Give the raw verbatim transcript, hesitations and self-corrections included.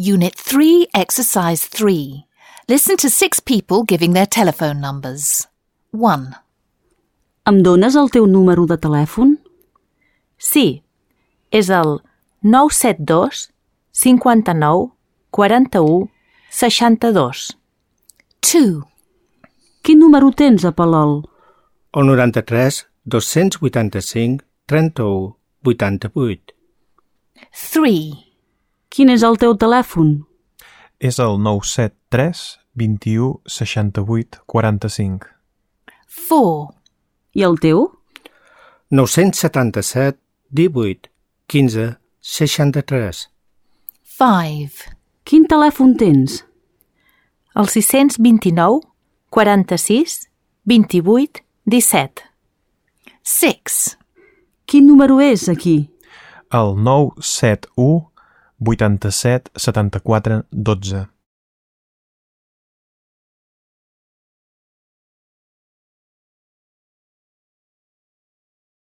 Unit three, Exercise three. Listen to six people giving their telephone numbers. one. Em dones el teu número de telèfon? Sí, és el nou set dos cinquanta-nou quaranta-u seixanta-dos. two. Quin número tens a Palol? El noranta-tres dos-cents vuitanta-cinc trenta-u vuitanta-vuit. three. Quin és el teu telèfon? És el nou set tres vint-i-u seixanta-vuit quaranta-cinc. four. I el teu? nou-cents setanta-set divuit quinze seixanta-tres. five. Quin telèfon tens? El sis-cents vint-i-nou quaranta-sis vint-i-vuit disset. six. Quin número és aquí? El nou set u vuitanta-set setanta-quatre dotze.